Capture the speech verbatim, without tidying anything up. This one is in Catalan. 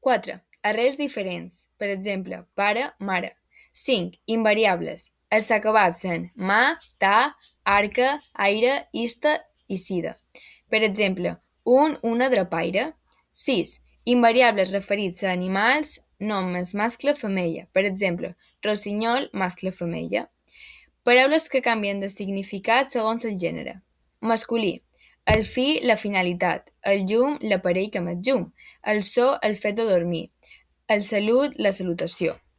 quatre. Arrels diferents, per exemple, pare, mare. cinc. Invariables. Els acabats en ma, ta, arca, aire, ista i sida. Per exemple, un, una drapaire. sis. Invariables referits a animals, noms mascle, femella. Per exemple, rossinyol, mascle, femella. Paraules que canvien de significat segons el gènere. Masculí. El fi, la finalitat. El llum, l'aparell que emet llum. El so, el fet de dormir. El salut, la salutació.